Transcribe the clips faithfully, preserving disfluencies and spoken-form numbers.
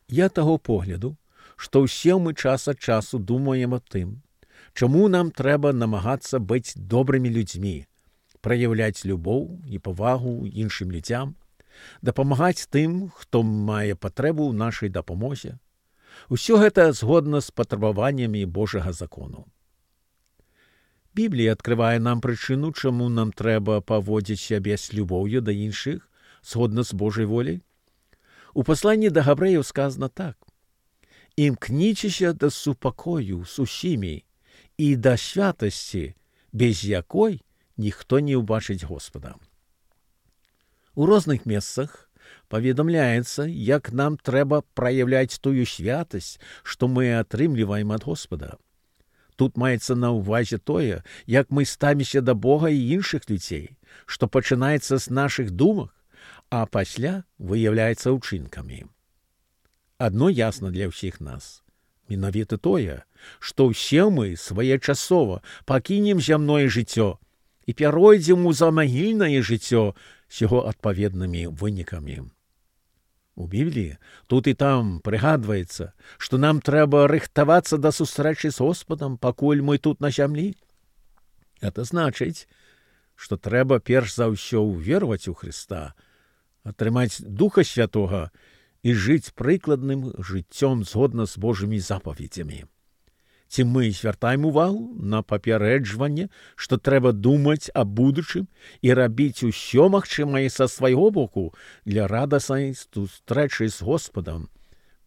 Я таго погляду, што ўсе мы час ад часу думаем аб тым, чаму нам трэба намагацца быць добрымі людзьмі, праяўляць любоў і павагу іншым людзям, дапамагаць тым, хто мае патрэбу ў нашай дапамозе. Усё гэта згодна з патрабаваннямі Божага закону. Біблія адкрывае нам прычыну, чаму нам трэба паводзіць сябе з любоўю да іншых, згодна з Божай воляй. У пасланні да габрэяў сказана так: «Імкніцеся да супакою з усімі і да святасці, без якой ніхто не ўбачыць Господа». У розных месцах паведамляецца, як нам трэба праяўляць тую святасць, што мы атрымліваем ад Господа. Тут маецца на ўвазе тое, як мы ставімся да Бога і іншых людзей, што пачынаецца з нашых думак, а пасля выяўляецца ўчынкамі. Адно ясна для ўсіх нас. Менавіта тое, што ўсе мы своечасова пакінем зямное жыццё і пяройдзем у замагільнае жыццё з яго адпаведнымі вынікамі. У Бібліі тут і там прыгадваецца, што нам трэба рыхтавацца да сустрэчы з Господам, пакуль мы тут на зямлі. Гэта значыць, што трэба перш за ўсё ўвераваць у Хрыста, атрымаць Духа Святога і жыць прыкладным жыццём згодна з Божымі запаведзямі. Ці мы звяртаем увагу на папярэджванне, што трэба думаць аб будучым і рабіць усё магчымае са свайго боку для радаснай сустрэчы з Господам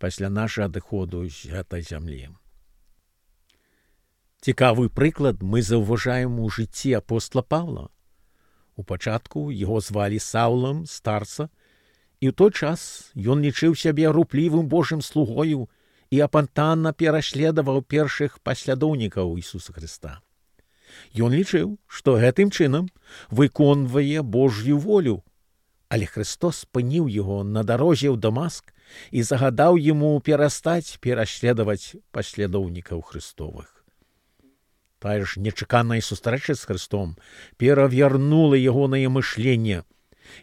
пасля нашага адыходу з гэтай зямлі. Цікавы прыклад мы заўважаем у жыцці апостола Павла. У пачатку яго звалі Саўлам, старца, і ў той час ён лічыў сябе руплівым Божым слугою і апантанна пераследаваў першых паслядоўнікаў Ісуса Хрыста. Ён лічыў, што гэтым чынам выконвае Божью волю, але Христос спыніў яго на дарозе ў Дамаск і загадаў яму перастаць пераследаваць паслядоўнікаў Христовых. Тая ж нечаканая сустрэча з Христом перавярнула ягонае мышленне.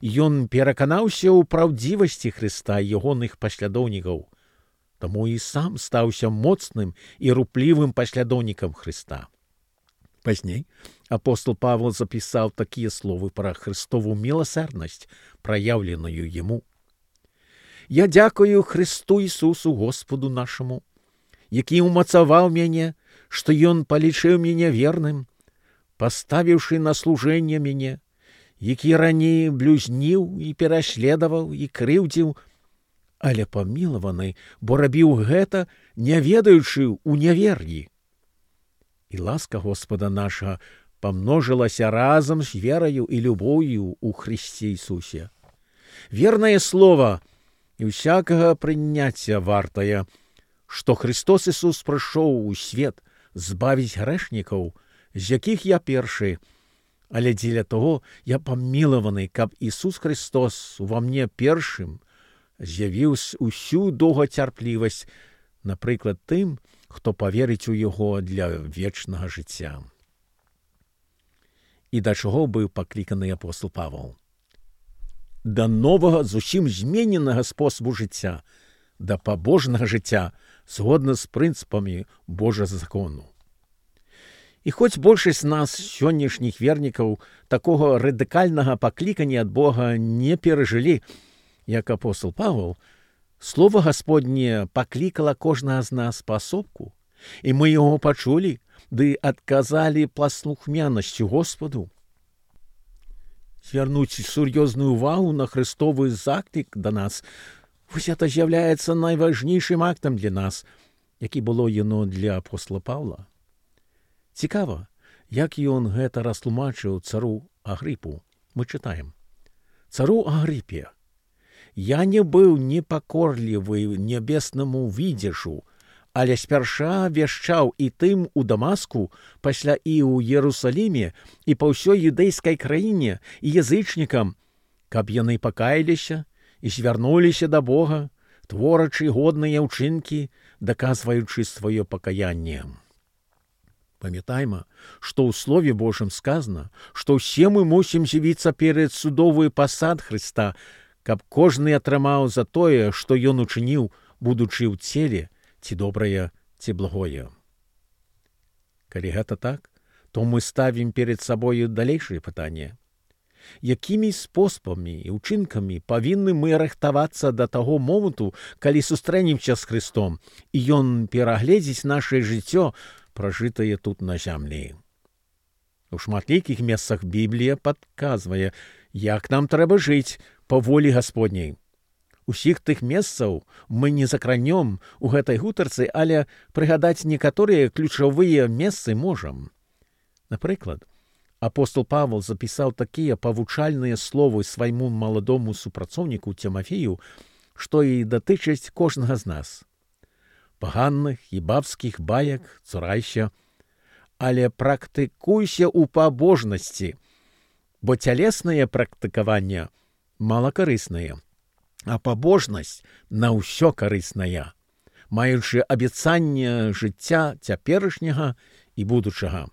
Ён пераканаўся ў праўдзівасці Христа і ягоных паслядоўнікаў, таму і сам стаўся моцным і руплівым паслядоўнікам Христа. Пазней апостол Павел запісаў такія словы пра Христову міласэрнасць, праяўленую яму. «Я дзякую Христу Ісусу Господу нашаму, які ўмацаваў мяне, што Ён палічыў мяне верным, паставіўшы на служэнне мяне, які раней блюзніў і пераследаваў і крыўдзіў, але памілаваны, бо рабіў гэта, не ведаючы ў нявер'і. І ласка Господа нашага памножылася разам з вераю і любоўю ў Христе Ісусе. Вернае слова і ўсякага прыняцця вартае, што Христос Ісус прыйшоў у свет збавіць грэшнікаў, з якіх я першы, але дзеля таго я памілаваны, каб Ісус Христос ува мне першым з'явіў усю доўгацярплівасць, напрыклад, тым, хто паверыць у яго для вечнага жыцця». І да чаго быў пакліканы апостол Павел? Да новага, зусім змененага спосабу жыцця, да пабожнага жыцця, згодна з прынцыпамі Божага закону. І хоць большасць нас, сённяшніх вернікаў, такога радыкальнага паклікання ад Бога не перажылі, як апостол Павел, Слово Господне паклікала кожнага з нас паасобку, і мы яго пачулі, ды адказалі паслухмянасцю Господу. Звярнуць сур'ёзную ўвагу на Христовы заклік да нас, вось гэта з'яўляецца найважнейшым актам для нас, які было яно для апостола Павла. Цікава, як ён гэта растлумачыў цару Агрыпу. Мы чытаем: «Цару Агрыпе, я не быў непакорлівы нябеснаму відзяшу, але спярша вяшчаў і тым у Дамаску, пасля і ў Ерусаліме, і па ўсёй юдэйскай краіне, і язычнікам, каб яны пакаяліся і звярнуліся да Бога, творачы годныя ўчынкі, даказваючы сваё пакаянне». Памятайма, што ў Слове Божым сказана, што ўсе мы мусім з'явіцца перад судовы пасад Христа, каб кожны атрымаў за тое, што ён учыніў, будучы ў целе, ці добрае, ці благое. Калі гэта так, то мы ставім перед сабою далейшае пытанне. Якімі спосабамі і ўчынкамі павінны мы рыхтавацца да таго моманту, калі сустрэнемся з Христом, і ён перагледзіць нашае жыццё, пражытае тут на зямлі. У шматлікіх месцах Біблія падказвае, як нам трэба жыць па волі Гасподняй. Усіх тых месцаў мы не закранём у гэтай гутарцы, але прыгадаць некаторыя ключавыя месцы можам. Напрыклад, апостол Павел запісаў такія павучальныя словы свайму маладому супрацоўніку Цімафею, што і датычаць кожнага з нас. Паганных і бабскіх баек цурайся, але практыкуйся ў пабожнасці, бо цялеснае практыкаванне малакарыснае, а пабожнасць на ўсё карысная, маючы абяцанне жыцця цяперашняга і будучага.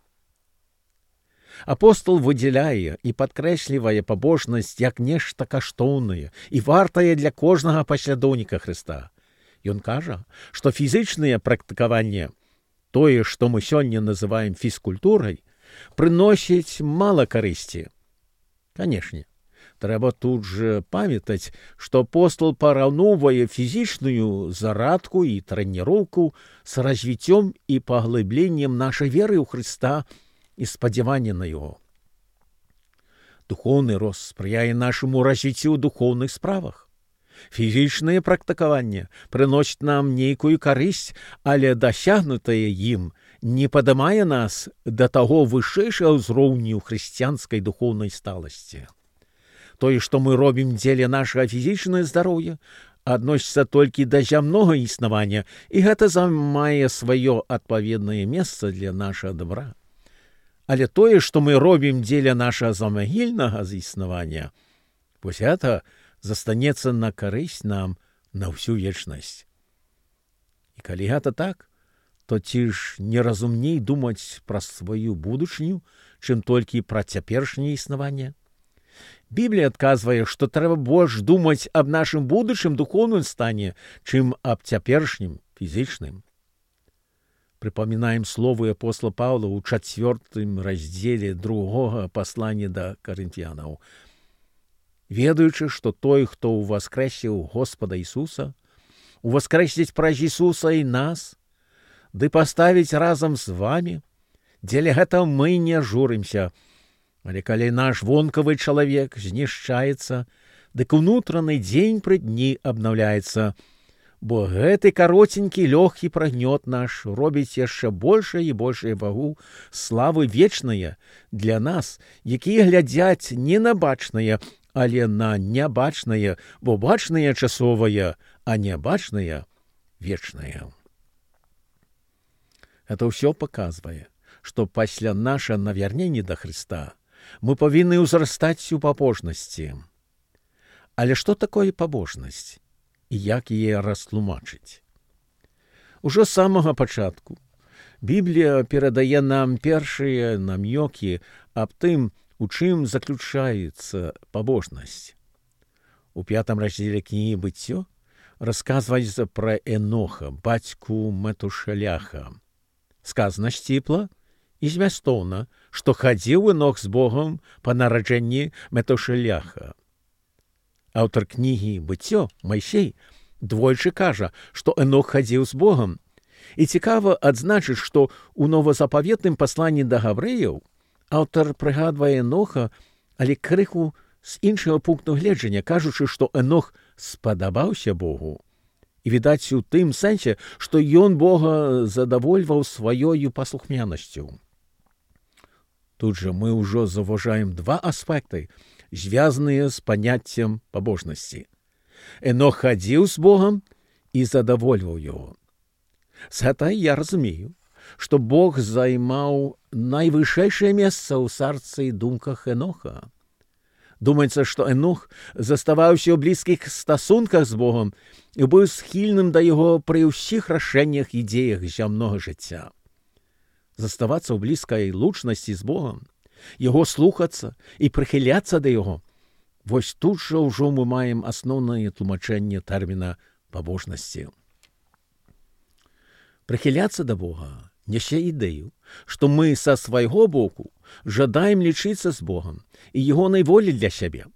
Апостол выдзяляе і падкрэслівае пабожнасць як нешта каштоўнае і вартае для кожнага паслядоўніка Хрыста. Ён кажа, што фізычнае практыкаванне, тое, што мы сёння называем фізкультурай, прыносіць мала карысці. Канешне, трэба тут жа памятаць, што апостол параўноўвае фізічную зарадку і трэніроўку з развіццём і паглыбленнем нашай веры ў Хрыста і спадзявання на яго. Духоўны рост спрыяе нашаму развіццю ў духоўных справах. Фізічнае практыкаванне прыносіць нам нейкую карысць, але дасягнутае ім не падымае нас да таго вышэйшага ўзроўню хрысціянскай духоўнай сталасці. Тое, што мы робім дзеля нашага фізічнага здароўя, адносіцца толькі да зямнога існавання, і гэта займае сваё адпаведнае месца для нашага добра. Але тое, што мы робім дзеля нашага замагільнага існавання, вось гэта застанецца на карысць нам на ўсю вечнасць. І калі гэта так, то ці ж неразумней думаць пра сваю будучыню, чым толькі пра цяперашняе існаванне? Біблія адказвае, што трэба больш думаць аб нашым будучым духоўным стане, чым аб цяперашнім фізічным. Прыпамінаем словы апостола Паўла ў чацвёртым раздзеле другога паслання да карынфянаў. Ведаючы, што той, хто ўваскрэсіў Господа Ісуса, уваскрэсіць праз Ісуса і нас, ды паставіць разам з вамі, дзеля гэта мы не журымся. Але калі наш вонкавы чалавек знішчаецца, дык унутраны дзень пры дні абнаўляецца, бо гэты кароценькі лёгкі прагнёт наш робіць яшчэ большае і большае вагу славы вечнае для нас, якія глядзяць не на бачнае, але на нябачнае, бо бачнае часовае, а нябачнае вечнае. Это ўсё паказвае, што пасля наша навярнення да Хрыста мы павінны ўзрастаць у пабожнасці. Але што такое пабожнасць? І як яе растлумачыць? Ужо з самага пачатку Біблія перадае нам першыя намёкі аб тым, у чым заключаецца пабожнасць. У пятым раздзеле кнігі «Быццё» расказваецца пра Эноха, бацьку Метушаляха. Сказана сціпла і змястоўна, што хадзіў Энох з Богам па нараджэнні Метушаляха. Аўтар кнігі «Быццё» Майсей двойчы кажа, што Энох хадзіў з Богам. І цікава адзначыць, што ў новазапаветным пасланні да габрэяў аўтар прыгадвае Эноха, але крыху з іншага пункту гледжання, кажучы, што Энох спадабаўся Богу. І відаць у тым сэнсе, што ён Бога задавольваў сваёю паслухмянасцю. Тут жа мы ўжо заўважаем два аспекты, звязаныя з паняццем пабожнасці. Энох хадзіў з Богам і задавольваў яго. З гэтай я разумею, што Бог займаў найвышэйшае месца ў сарцы і думках Эноха. Думаецца, што Энох заставаўся ў блізкіх стасунках з Богам і быў схільным да яго пры ўсіх рашэннях і дзеях зямнога жыцця. Заставацца ў блізкай лучнасці з Богам, яго слухацца і прыхіляцца да яго Вось тут жа ўжо мы маем асноўнае тлумачэнне тэрміна пабожнасці. Прыхіляцца да Бога нясе ідэю, што мы са свайго боку жадаем лічыцца з Богам і ягонай волі для сябе.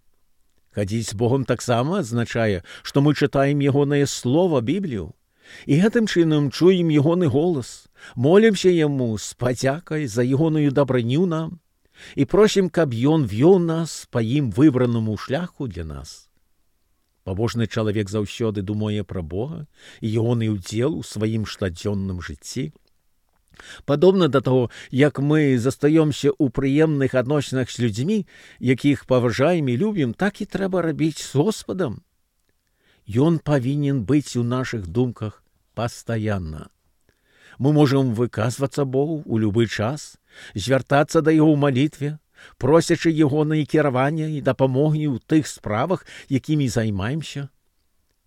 Хадзіць з Богом таксама азначае, што мы чытаем ягонае слова, Біблію, і гэтым чынам чуем ягоны голас, молімся яму з падзякай за ягоную дабрыню нам і просім, каб ён вёў нас па ім выбранаму шляху для нас. Пабожны чалавек заўсёды думае пра Бога і ягоны ўдзел у сваім штодзённым жыцці. Падобна да таго, як мы застаёмся ў прыемных адносінах з людзьмі, якіх паважаем і любім, так і трэба рабіць з Господам. Ён павінен быць у нашых думках пастаянна. Мы можам выказвацца Богу ў любы час, звяртацца да яго ў малітве, просячы ягонае кіравання і дапамогі ў тых справах, якімі займаемся.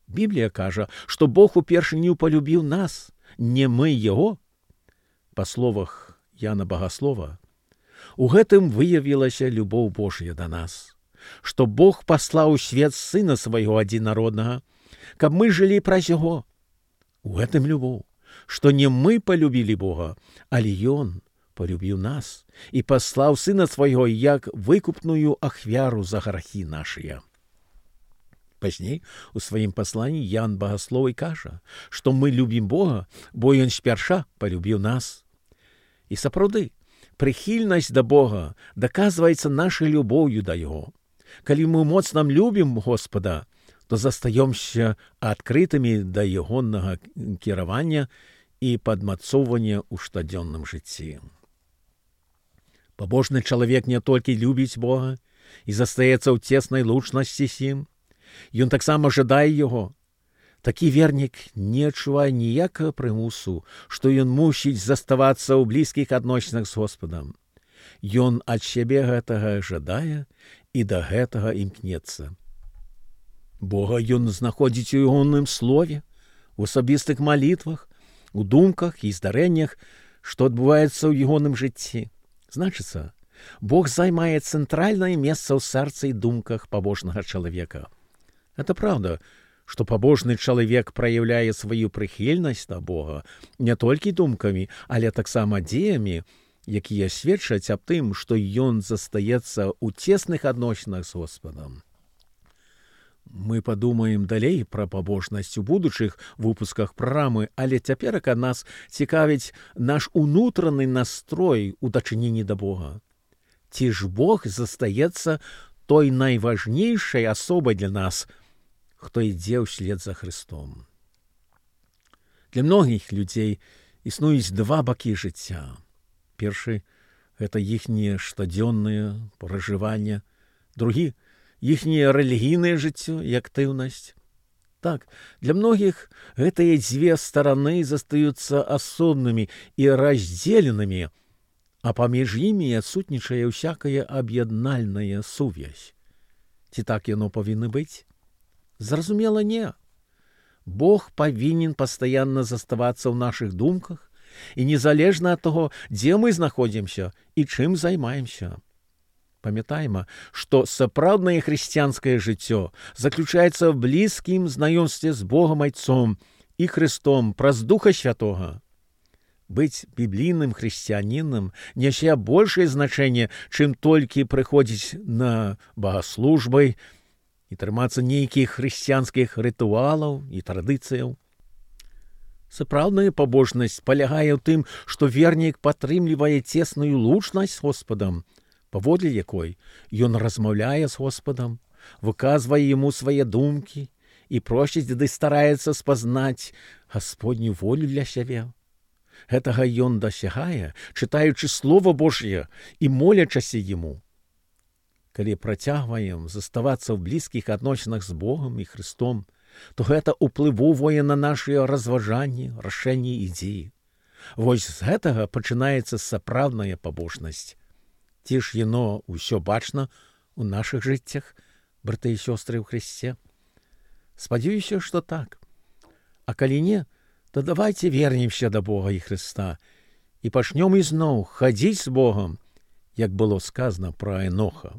Біблія кажа, што Бог упершыню палюбіў нас, не мы яго. Па словах Яна Багаслова, у гэтым выявілася любоў Божая да нас, што Бог паслаў у свет Сына свайго адзінароднага, каб мы жылі праз яго. У гэтым любоў, што не мы палюбілі Бога, але Ён палюбіў нас і паслаў Сына свайго як выкупную ахвяру за грахі нашыя. Пазней у сваім пасланні Ян Багаслоў кажа, што мы любім Бога, бо Ён спярша палюбіў нас. І сапраўды, прыхільнасць да Бога даказваецца нашай любоўю да Яго. Калі мы моцна любім Господа, то застаёмся адкрытымі да ягонага кіравання і падмацоўвання ў штодзённым жыцці. Пабожны чалавек не толькі любіць Бога і застаецца ў цеснай лучнасці з ім, ён таксама жадае яго. Такі вернік не адчувае ніякага прымусу, што ён мусіць заставацца ў блізкіх адносінах з Господам. Ён ад сябе гэтага жадае і да гэтага імкнецца. Бога ён знаходзіць у ягоным слове, у асабістых малітвах, у думках і здарэннях, што адбываецца ў ягоным жыцці. Значыцца, Бог займае цэнтральнае месца ў сэрцы і думках пабожнага чалавека. Это правда, што пабожны чалавек праяўляе сваю прыхільнасць да Бога не толькі думкамі, але таксама дзеямі, якія сведчаць аб тым, што ён застаецца ў цесных адносінах з Господам. Мы падумаем далей пра пабожнасць у будучых выпусках праграмы, але цяперака нас цікавіць наш унутраны настрой у дачыненні да Бога. Ці ж Бог застаецца той найважнейшай асобай для нас, хто ідзе ўслед за Христом. Для многіх людзей існуюць два бакі жыцця. Першы – гэта іхняе штодзённае пражыванне, другі – іхняе рэлігійнае жыццё і актыўнасць. Так, для многіх гэтыя дзве стараны застаюцца асобнымі і раздзеленымі, а паміж імі адсутнічае ўсякая аб'яднальная сувязь. Ці так яно павінна быць? Зразумела, не. Бог павінен пастаянна заставацца ў нашых думках і незалежна ад таго, дзе мы знаходзімся і чым займаемся. Памятайма, што сапраўднае хрысціянскае жыццё заключаецца ў блізкім знаёмстве з Богам Айцом і Христом праз Духа Святога. Быць біблійным хрысціянінам нясе большае значэнне, чым толькі прыходзіць на богаслужбы і трымацца нейкіх хрысціянскіх рытуалаў і традыцыяў. Сапраўдная пабожнасць палягае ў тым, што вернік падтрымлівае цесную лучнасць з Господам, паводле якой ён размаўляе з Господам, выказвае яму свае думкі і просіць ды стараецца спазнаць Гасподню волю для сябе. Гэтага ён дасягае, чытаючы Слова Божье і молячася яму. Калі працягваем заставацца ў блізкіх адносінах з Богам і Христом, то гэта ўплывовае на нашыя разважанні, рашэнні і дзеі. Вось з гэтага пачынаецца сапраўдная пабожнасць. Ці ж яно ўсё бачна ў нашых жыццях, браты і сёстры ў Христе? Спадзяюся, што так. А калі не, то давайце вернемся да Бога і Христа і пачнём ізноў хадзіць з Богам, як было сказано пра Еноха.